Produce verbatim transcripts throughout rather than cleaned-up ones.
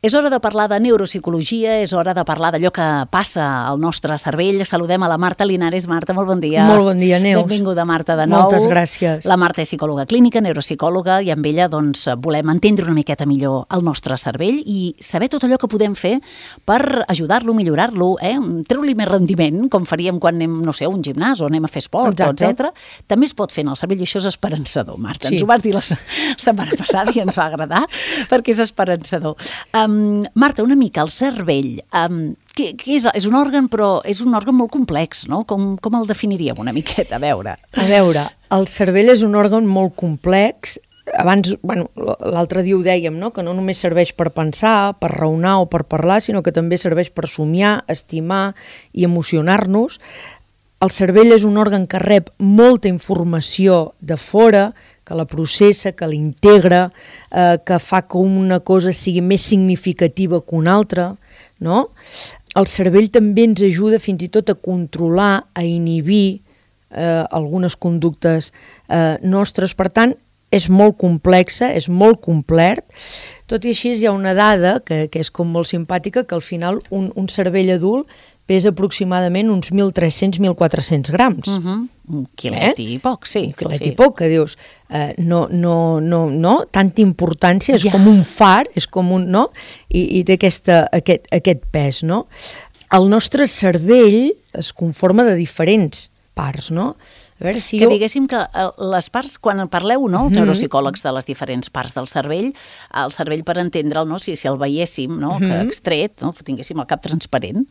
És hora de parlar de neuropsicologia, és hora de parlar d'allò que passa al nostre cervell. Saludem a la Marta Linares. Marta, molt bon dia. Molt bon dia, Neus. Benvinguda, Marta, de nou. Moltes gràcies. La Marta és psicòloga clínica, neuropsicòloga, i amb ella doncs, volem entendre una miqueta millor el nostre cervell i saber tot allò que podem fer per ajudar-lo, millorar-lo, eh? treure-li més rendiment, com faríem quan anem, no sé, a un gimnàs o anem a fer esport, etcètera. També es pot fer en el cervell i això és esperançador, Marta. Sí. Ens ho vas dir la setmana passada i ens va agradar perquè és esperançador. Um, Um, Marta, una mica, el cervell, um, què, què és? És un òrgan, però és un òrgan molt complex, no? Com, com el definiríem una miqueta? A veure. A veure, el cervell és un òrgan molt complex. Abans, bueno, l'altre dia ho dèiem, no? Que no només serveix per pensar, per raonar o per parlar, sinó que també serveix per somiar, estimar i emocionar-nos. El cervell és un òrgan que rep molta informació de fora, que la processa, que l'integra, eh, que fa que una cosa sigui més significativa que una altra, no? El cervell també ens ajuda fins i tot a controlar, a inhibir eh, algunes conductes eh, nostres. Per tant, és molt complexa, és molt complet. Tot i així hi ha una dada que, que és com molt simpàtica, que al final un, un cervell adult pesa aproximadament uns mil tres-cents a mil quatre-cents grams. Uh-huh. Un quilet eh? i poc, sí. Un quilet sí. i poc, que dius, eh, no, no, no, no, tanta importància, és ja. com un far, és com un, no? I, i té aquesta, aquest, aquest pes, no? El nostre cervell es conforma de diferents parts, no? A veure si que jo... diguéssim que les parts, quan parleu, no, els neuropsicòlegs de les diferents parts del cervell, el cervell per entendre'l, no, si, si el veiéssim, no, que extret, no, tinguéssim el cap transparent,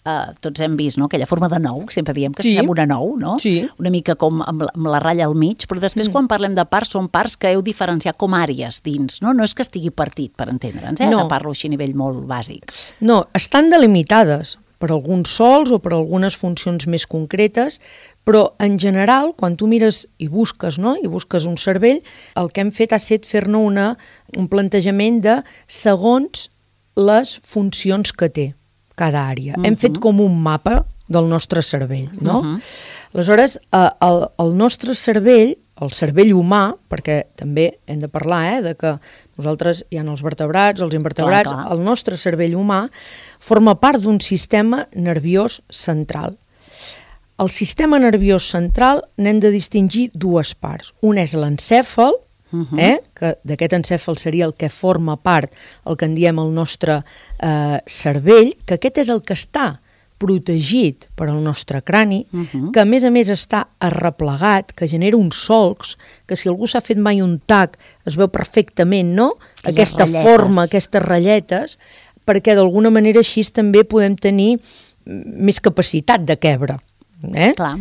eh, tots hem vist, no, aquella forma de nou, sempre diem que sí. sembla una nou, no? Sí. Una mica com amb la, amb la ratlla al mig, però després mm. quan parlem de parts, són parts que heu diferenciat com àrees dins, no? No és que estigui partit, per entendre'ns, eh? No. Parlo així a nivell molt bàsic. No, estan delimitades per alguns sols o per algunes funcions més concretes, però en general, quan tu mires i busques, no? i busques un cervell, el que hem fet ha estat fer-ne una, un plantejament de segons les funcions que té cada àrea. Uh-huh. Hem fet com un mapa del nostre cervell, no? Uh-huh. Aleshores, eh, el, el nostre cervell, el cervell humà, perquè també hem de parlar eh, de que nosaltres hi ha els vertebrats, els invertebrats, clar, clar. El nostre cervell humà forma part d'un sistema nerviós central. El sistema nerviós central n'hem de distingir dues parts. Un és l'encèfal, uh-huh. eh, que d'aquest encèfal seria el que forma part, el que en diem el nostre eh, cervell, que aquest és el que està protegit per al nostre crani, uh-huh. que a més a més està arreplegat, que genera uns solcs, que si algú s'ha fet mai un tac es veu perfectament, no? Aquelles aquesta ratlletes. Forma, aquestes ratlletes, perquè d'alguna manera així també podem tenir més capacitat de quebre. Eh? Clar,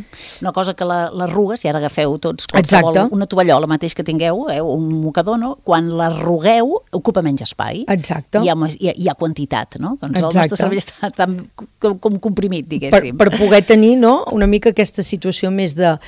una cosa que l'arruga, si ara agafeu tots qualsevol, una tovallola mateix que tingueu, eh, un mocador, no? Quan l'arrugueu ocupa menys espai. Exacte. Hi ha, hi ha, hi ha quantitat, no? Doncs Exacte. El nostre cervell està tan com, com comprimit, diguéssim. Per, per poder tenir, no?, una mica aquesta situació més de...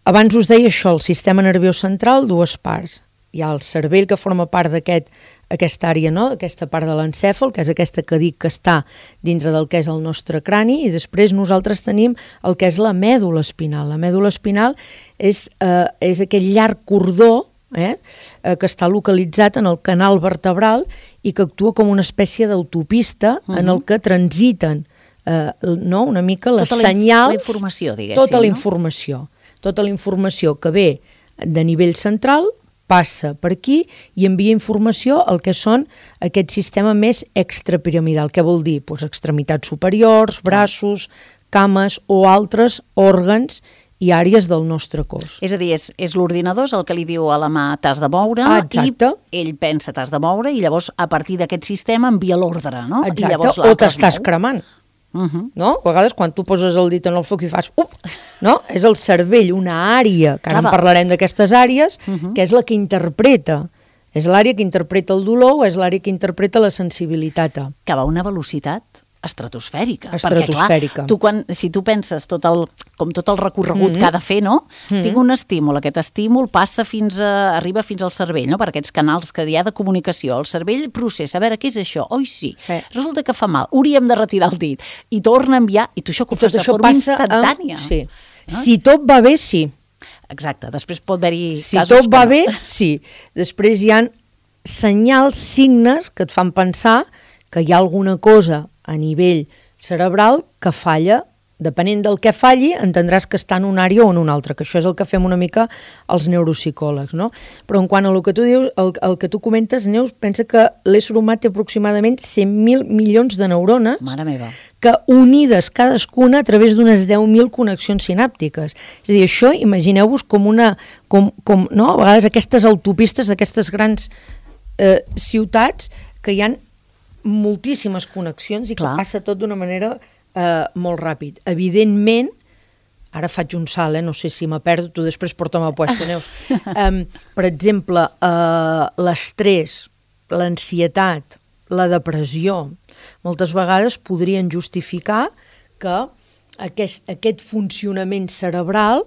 Abans us deia això, el sistema nerviós central, dues parts. Hi ha el cervell que forma part d'aquest aquesta àrea, no? Aquesta part de l'encèfal, que és aquesta que dic que està dintre del que és el nostre crani, i després nosaltres tenim el que és la mèdula espinal. La mèdula espinal és, eh, és aquell llarg cordó eh, eh, que està localitzat en el canal vertebral i que actua com una espècie d'autopista uh-huh. en el que transiten eh, no? una mica les tota senyals... La informació, diguéssim. Tota la no? informació. Tota la informació que ve de nivell central passa per aquí i envia informació al que són aquest sistema més extrapiramidal. Què vol dir? Pues extremitats superiors, braços, cames o altres òrgans i àrees del nostre cos. És a dir, és, és l'ordinador el que li diu a la mà t'has de moure ah, i ell pensa t'has de moure i llavors a partir d'aquest sistema envia l'ordre, no? Exacte, I llavors o t'estàs cremant. Uh-huh. No? A vegades quan tu poses el dit en el foc i fas up, no? És el cervell, una àrea, que ara en parlarem d'aquestes àrees, uh-huh. que és la que interpreta, és l'àrea que interpreta el dolor o és l'àrea que interpreta la sensibilitat. Que va a una velocitat estratosfèrica. Estratosfèrica. Perquè, clar, tu quan, si tu penses tot el, com tot el recorregut mm-hmm. que ha de fer, no? Mm-hmm. Tinc un estímul, aquest estímul passa fins a, arriba fins al cervell, no? Per aquests canals que hi ha de comunicació. El cervell processa, a veure, què és això? Oi, sí. Eh. Resulta que fa mal, hauríem de retirar el dit. I torna a enviar, i tu això que ho fas de forma instantània. Amb... Sí. No? Si tot va bé, sí. Exacte, després pot haver-hi si casos tot va no. bé, sí. Després hi ha senyals, signes que et fan pensar que hi ha alguna cosa a nivell cerebral que falla. Depenent del que falli, entendràs que està en una àrea o en una altra, que això és el que fem una mica els neuropsicòlegs, no? Però en quant a el que tu dius, el, el que tu comentes, Neus, pensa que l'ésser humà té aproximadament cent mil milions de neurones. Mare meva. Que unides cadascuna a través d'unes deu mil connexions sinàptiques. És a dir, això imagineu-vos com una... Com, com, no? A vegades aquestes autopistes d'aquestes grans eh, ciutats que hi ha moltíssimes connexions i Clar. que passa tot d'una manera... Uh, molt ràpid. Evidentment, ara faig un salt, eh? No sé si m'ha perdo, tu després porta'm a puesto, Neus. Um, per exemple, uh, l'estrès, l'ansietat, la depressió, moltes vegades podrien justificar que aquest, aquest funcionament cerebral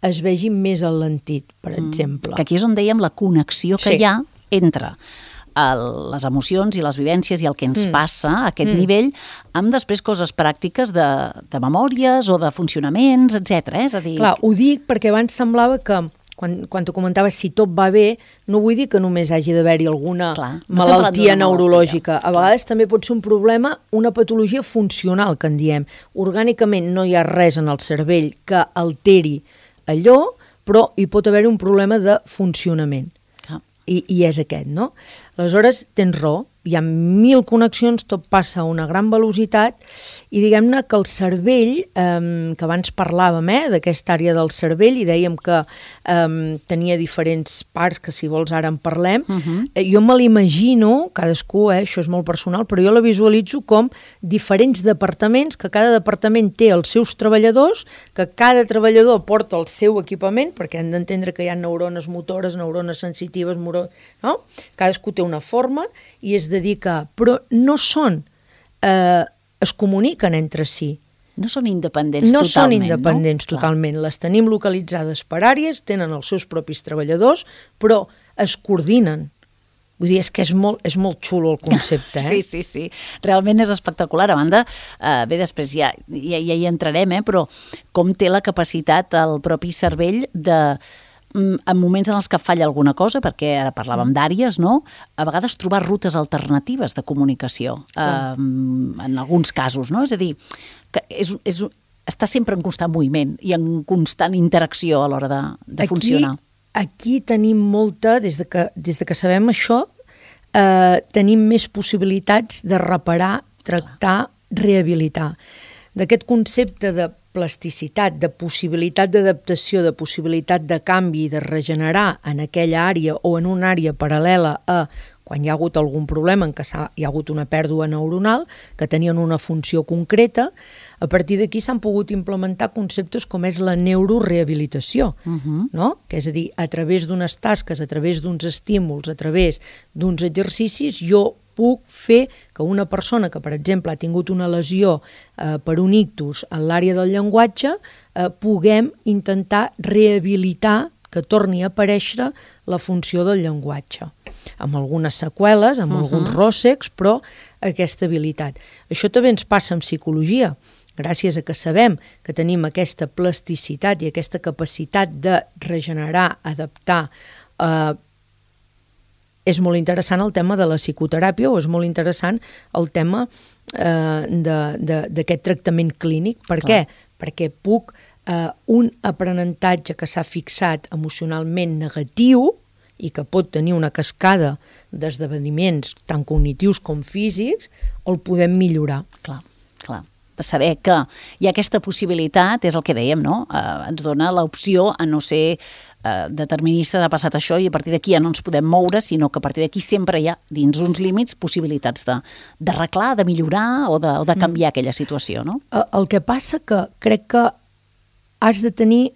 es vegi més alentit, per mm. exemple. Que aquí és on dèiem la connexió que sí. hi ha entre el, les emocions i les vivències i el que ens mm. passa a aquest mm. nivell, amb després coses pràctiques de, de memòries o de funcionaments, etcètera. Eh? És a dir... Clar, ho dic perquè abans semblava que, quan, quan t'ho comentaves, si tot va bé, no vull dir que només hagi d'haver-hi alguna Clar, no malaltia neurològica. Malaltia. A vegades també pot ser un problema, una patologia funcional, que en diem. Orgànicament no hi ha res en el cervell que alteri allò, però hi pot haver un problema de funcionament. I, i és aquest, no? Aleshores, tens raó, hi ha mil connexions, tot passa a una gran velocitat i diguem-ne que el cervell, eh, que abans parlàvem eh, d'aquesta àrea del cervell i dèiem que eh, tenia diferents parts, que si vols ara en parlem, uh-huh. eh, jo me l'imagino, cadascú, eh, això és molt personal, però jo la visualitzo com diferents departaments, que cada departament té els seus treballadors, que cada treballador porta el seu equipament, perquè hem d'entendre que hi ha neurones motores, neurones sensitives, moro... no? Cadascú té una forma i es dedica, però no són, eh, es comuniquen entre si. No són independents no totalment, són independents no? totalment. Les tenim localitzades per àrees, tenen els seus propis treballadors, però es coordinen. Vull dir, és que és molt, és molt xulo el concepte, eh? Sí, sí, sí. Realment és espectacular. A banda, eh, bé, després ja, ja, ja hi entrarem, eh? Però com té la capacitat el propi cervell de... en moments en els que falla alguna cosa, perquè ara parlàvem d'àrees, no? A vegades trobar rutes alternatives de comunicació, eh, en alguns casos, no? És a dir, que és, és, està sempre en constant moviment i en constant interacció a l'hora de, de aquí, funcionar. Aquí tenim molta, des de que, des de que sabem això, eh, tenim més possibilitats de reparar, tractar, rehabilitar. D'aquest concepte de plasticitat, de possibilitat d'adaptació, de possibilitat de canvi, de regenerar en aquella àrea o en una àrea paral·lela a quan hi ha hagut algun problema en què hi ha hagut una pèrdua neuronal, que tenien una funció concreta, a partir d'aquí s'han pogut implementar conceptes com és la neurorehabilitació, uh-huh. no? Que és a dir, a través d'unes tasques, a través d'uns estímuls, a través d'uns exercicis, jo puc fer que una persona que, per exemple, ha tingut una lesió eh, per un ictus en l'àrea del llenguatge, eh, puguem intentar rehabilitar, que torni a aparèixer la funció del llenguatge, amb algunes seqüeles, amb uh-huh. alguns ròssecs, però aquesta habilitat. Això també ens passa en psicologia, gràcies a que sabem que tenim aquesta plasticitat i aquesta capacitat de regenerar, adaptar, eh, és molt interessant el tema de la psicoteràpia o és molt interessant el tema eh, d'aquest tractament clínic. Per Clar. Què? Perquè puc eh, un aprenentatge que s'ha fixat emocionalment negatiu i que pot tenir una cascada d'esdeveniments tant cognitius com físics, el podem millorar. Clar, clar. Saber que hi ha aquesta possibilitat, és el que dèiem, no? Eh, ens dona l'opció a no ser eh, determinista, ha passat això i a partir d'aquí ja no ens podem moure, sinó que a partir d'aquí sempre hi ha, dins uns límits, possibilitats de d'arreglar, de millorar o de, o de canviar mm. aquella situació, no? El que passa que crec que has de tenir,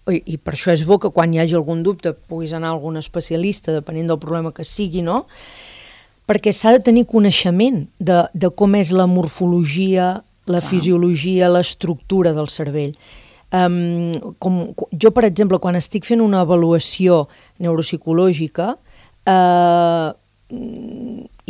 i per això és bo que quan hi hagi algun dubte puguis anar a algun especialista, depenent del problema que sigui, no? Perquè s'ha de tenir coneixement de, de com és la morfologia, la Clar. Fisiologia, l'estructura del cervell. Um, com, jo, per exemple, quan estic fent una avaluació neuropsicològica eh,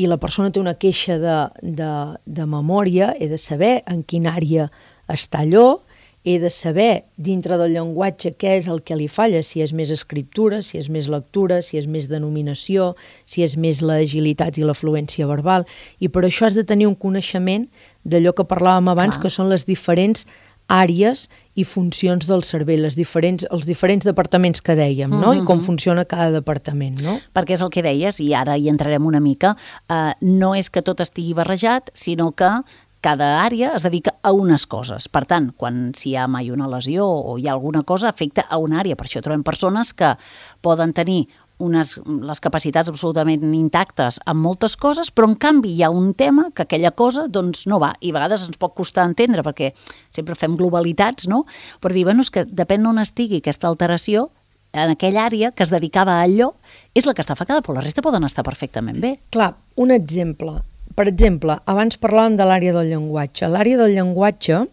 i la persona té una queixa de, de, de memòria, he de saber en quina àrea està allò, he de saber dintre del llenguatge què és el que li falla, si és més escriptura, si és més lectura, si és més denominació, si és més l'agilitat i la fluència verbal, i per això has de tenir un coneixement d'allò que parlàvem abans, Clar. que són les diferents àrees i funcions del cervell, les diferents, els diferents departaments que dèiem, no? Uh-huh. I com funciona cada departament, no? Perquè és el que deies, i ara hi entrarem una mica, eh, no és que tot estigui barrejat, sinó que cada àrea es dedica a unes coses. Per tant, quan si hi ha mai una lesió o hi ha alguna cosa, afecta a una àrea. Per això trobem persones que poden tenir unes, les capacitats absolutament intactes en moltes coses, però en canvi hi ha un tema que aquella cosa doncs no va, i a vegades ens pot costar entendre perquè sempre fem globalitats, no? Però dir, bueno, és que depèn d'on estigui aquesta alteració, en aquella àrea que es dedicava a allò, és la que està afectada, però la resta poden estar perfectament bé. Clar, un exemple. Per exemple, abans parlàvem de l'àrea del llenguatge. L'àrea del llenguatge,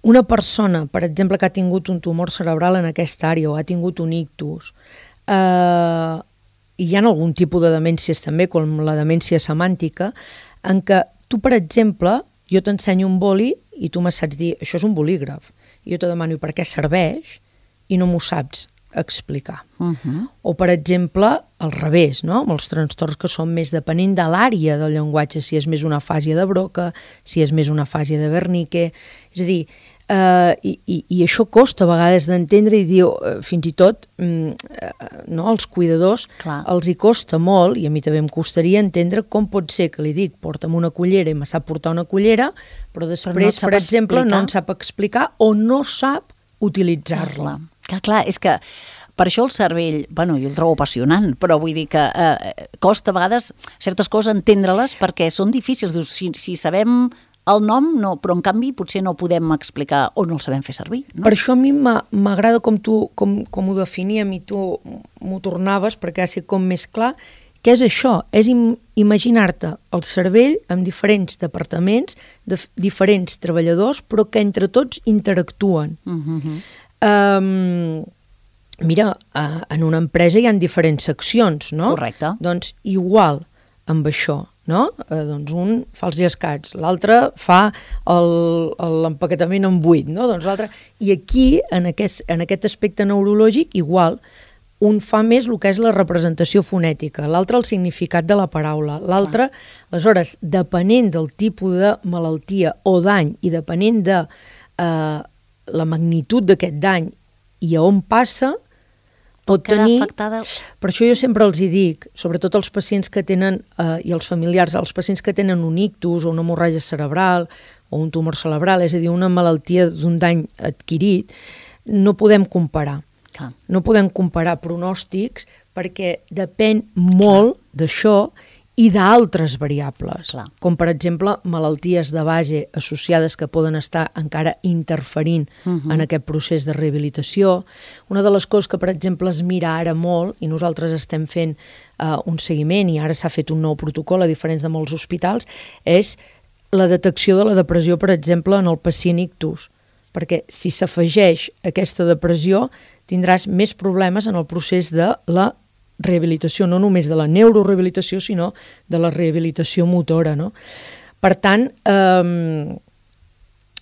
una persona, per exemple, que ha tingut un tumor cerebral en aquesta àrea o ha tingut un ictus, Uh, hi ha algun tipus de demències també, com la demència semàntica, en què tu, per exemple, jo t'ensenyo un boli i tu me saps dir, això és un bolígraf, i jo te demano per què serveix i no m'ho saps explicar. Uh-huh. O, per exemple, al revés, no? Amb els trastorns que són més depenent de l'àrea del llenguatge, si és més una fàsia de Broca, si és més una fàsia de Wernicke, és a dir, Uh, i, i, i això costa a vegades d'entendre i dir, uh, fins i tot um, uh, no, als cuidadors Clar. els hi costa molt, i a mi també em costaria entendre com pot ser que li dic porta'm una cullera i me sap portar una cullera, però després, però no per exemple, explicar. no en sap explicar o no sap utilitzar-la. Clar, clar, és que per això el cervell, bueno, jo el trobo apassionant, però vull dir que eh, costa a vegades certes coses entendre-les perquè són difícils. Si, si sabem el nom, no, però en canvi potser no podem explicar o no el sabem fer servir. No? Per això a mi m'agrada com tu com, com ho definíem i tu m'ho tornaves perquè ha sigut com més clar, que és això, és im imaginar-te el cervell amb diferents departaments, de diferents treballadors, però que entre tots interactuen. Uh-huh. um, mira, uh, en una empresa hi ha diferents seccions, no? Correcte. Doncs igual amb això, no? Eh, doncs un fa els llescats, l'altre fa l'empaquetament en buit, no? Doncs l'altre... I aquí, en aquest, en aquest aspecte neurològic, igual, un fa més el que és la representació fonètica, l'altre el significat de la paraula, l'altre, aleshores, depenent del tipus de malaltia o dany i depenent de eh, la magnitud d'aquest dany i a on passa, pot tenir... Afectada... Per això jo sempre els hi dic, sobretot els pacients que tenen, eh, i els familiars, els pacients que tenen un ictus o una hemorràgia cerebral o un tumor cerebral, és a dir, una malaltia d'un dany adquirit, no podem comparar. Clar. No podem comparar pronòstics perquè depèn molt d'això i d'altres variables, Clar. com per exemple malalties de base associades que poden estar encara interferint uh-huh. en aquest procés de rehabilitació. Una de les coses que, per exemple, es mira ara molt, i nosaltres estem fent uh, un seguiment, i ara s'ha fet un nou protocol a diferents de molts hospitals, és la detecció de la depressió, per exemple, en el pacient ictus. Perquè si s'afegeix aquesta depressió, tindràs més problemes en el procés de la rehabilitació, no només de la neurorehabilitació, sinó de la rehabilitació motora, no? Per tant, eh,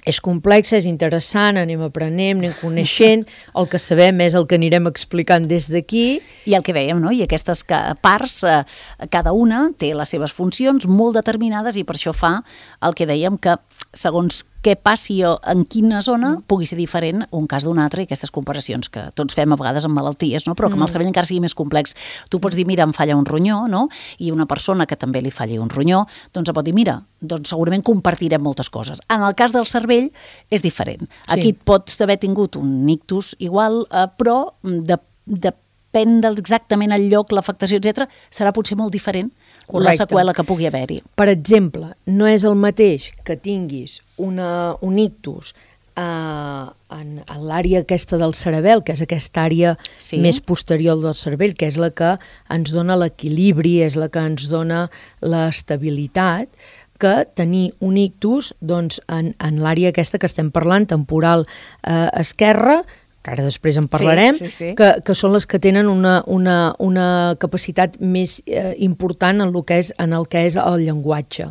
és complex, és interessant, anem aprenent, anem coneixent, el que sabem és el que anirem explicant des d'aquí. I el que dèiem, no? I aquestes parts, eh, cada una té les seves funcions molt determinades i per això fa el que dèiem que segons què passi en quina zona pugui ser diferent un cas d'un altre i aquestes comparacions que tots fem a vegades amb malalties, no? Però que amb el cervell encara sigui més complex. Tu pots dir, mira, em falla un ronyó, no? I una persona que també li falli un ronyó, doncs pot dir, mira, doncs segurament compartirem moltes coses. En el cas del cervell és diferent. Sí. Aquí pots haver tingut un ictus igual, eh, però de, depèn exactament el lloc, l'afectació, etcètera, serà potser molt diferent. Correcte. La seqüela que pugui haver-hi. Per exemple, no és el mateix que tinguis una, un ictus eh, en, en l'àrea aquesta del cerebel, que és aquesta àrea sí. més posterior del cervell, que és la que ens dona l'equilibri, és la que ens dona l'estabilitat, que tenir un ictus doncs, en, en l'àrea aquesta que estem parlant, temporal eh, esquerra, que ara després en parlarem, sí, sí, sí. Que, que són les que tenen una, una, una capacitat més eh, important en el, que és, en el que és el llenguatge.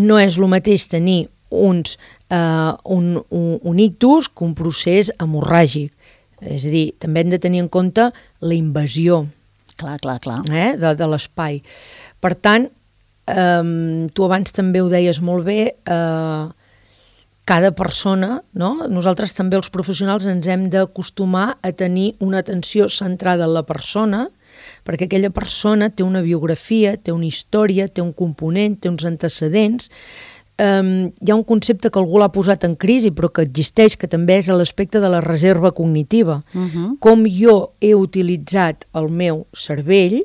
No és el mateix tenir uns, eh, un, un, un ictus que un procés hemorràgic. És a dir, també hem de tenir en compte la invasió clar, clar, clar. Eh, de, de l'espai. Per tant, eh, tu abans també ho deies molt bé, eh, cada persona, no? Nosaltres també els professionals ens hem d'acostumar a tenir una atenció centrada en la persona, perquè aquella persona té una biografia, té una història, té un component, té uns antecedents. Um, hi ha un concepte que algú l'ha posat en crisi però que existeix, que també és l'aspecte de la reserva cognitiva. Uh-huh. Com jo he utilitzat el meu cervell,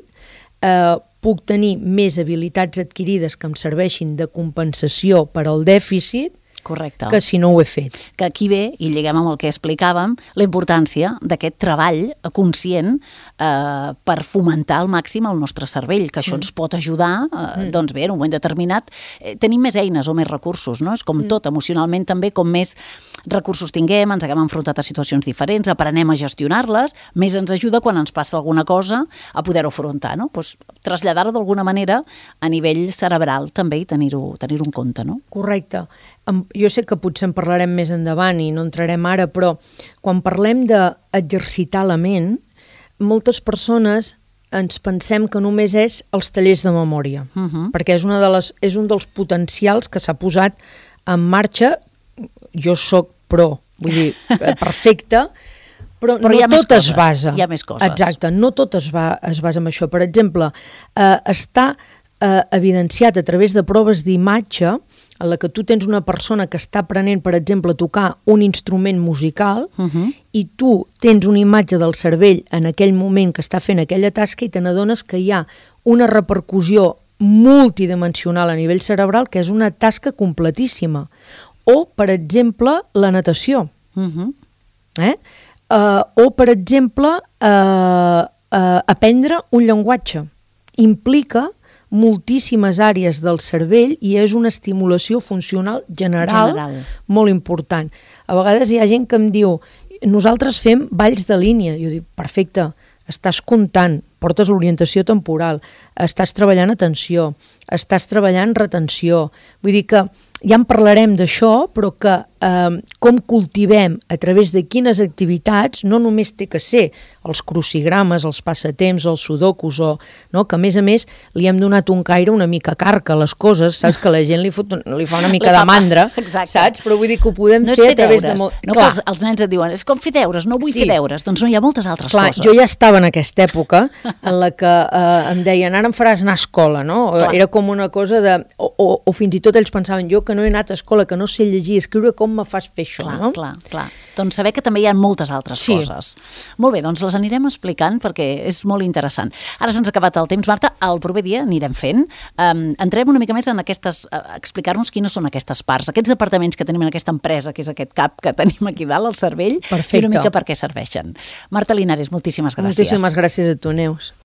eh, puc tenir més habilitats adquirides que em serveixin de compensació per al dèficit. Correcte. Que si no ho he fet. Que aquí ve, i lliguem amb el que explicàvem, la importància d'aquest treball conscient eh, per fomentar al màxim el nostre cervell, que això mm. ens pot ajudar, eh, mm. doncs bé, en un moment determinat, eh, tenim més eines o més recursos, no? És com mm. tot, emocionalment també, com més recursos tinguem, ens haguem enfrontat a situacions diferents, aprenem a gestionar-les, més ens ajuda quan ens passa alguna cosa a poder-ho afrontar, no? Pues, traslladar-ho d'alguna manera a nivell cerebral també i tenir-ho tenir-ho en compte, no? Correcte. Jo sé que potser en parlarem més endavant i no entrarem ara, però quan parlem d'exercitar la ment, moltes persones ens pensem que només és els tallers de memòria, uh-huh. perquè és, una de les, és un dels potencials que s'ha posat en marxa. Jo soc pro, vull dir, perfecte, però, però no tot es basa. Hi ha més coses. Exacte, no tot es, va, es basa en això. Per exemple, eh, està eh, evidenciat a través de proves d'imatge en la que tu tens una persona que està aprenent, per exemple, a tocar un instrument musical uh-huh. i tu tens una imatge del cervell en aquell moment que està fent aquella tasca i te n'adones que hi ha una repercussió multidimensional a nivell cerebral que és una tasca completíssima. O, per exemple, la natació. Uh-huh. Eh? Uh, o, per exemple, uh, uh, aprendre un llenguatge. Implica moltíssimes àrees del cervell i és una estimulació funcional general, general molt important. A vegades hi ha gent que em diu nosaltres fem balls de línia. Jo dic, perfecte, estàs comptant, portes l'orientació temporal, estàs treballant atenció, estàs treballant retenció. Vull dir que ja en parlarem d'això, però que eh, com cultivem a través de quines activitats no només té que ser els crucigrames, els passatemps, els sudokus, o, no? Que a més a més li hem donat un caire una mica carca a les coses, saps? Que la gent li, fot, li fa una mica de mandra, saps? Però vull dir que ho podem no fer a través deures. de... Molt... No, els, els nens et diuen, és com fer deures, no vull sí. fer deures. Doncs no, hi ha moltes altres Clar, coses. Jo ja estava en aquesta època en la que eh, em deien, ara em faràs anar a escola, no? Clar. Era com una cosa de... O, o, o fins i tot ells pensaven, jo que no he anat a escola, que no sé llegir i escriure, com me fas fer això, clar, no? Clar, clar. Doncs saber que també hi ha moltes altres sí. coses. Molt bé, doncs les anirem explicant perquè és molt interessant. Ara se'ns ha acabat el temps, Marta, el proper dia anirem fent. Um, entrem una mica més en aquestes, uh, explicar-nos quines són aquestes parts, aquests departaments que tenim en aquesta empresa, que és aquest cap que tenim aquí dalt, al cervell, Perfecte. I una mica per què serveixen. Marta Linares, moltíssimes gràcies. Moltíssimes gràcies a tu, Neus.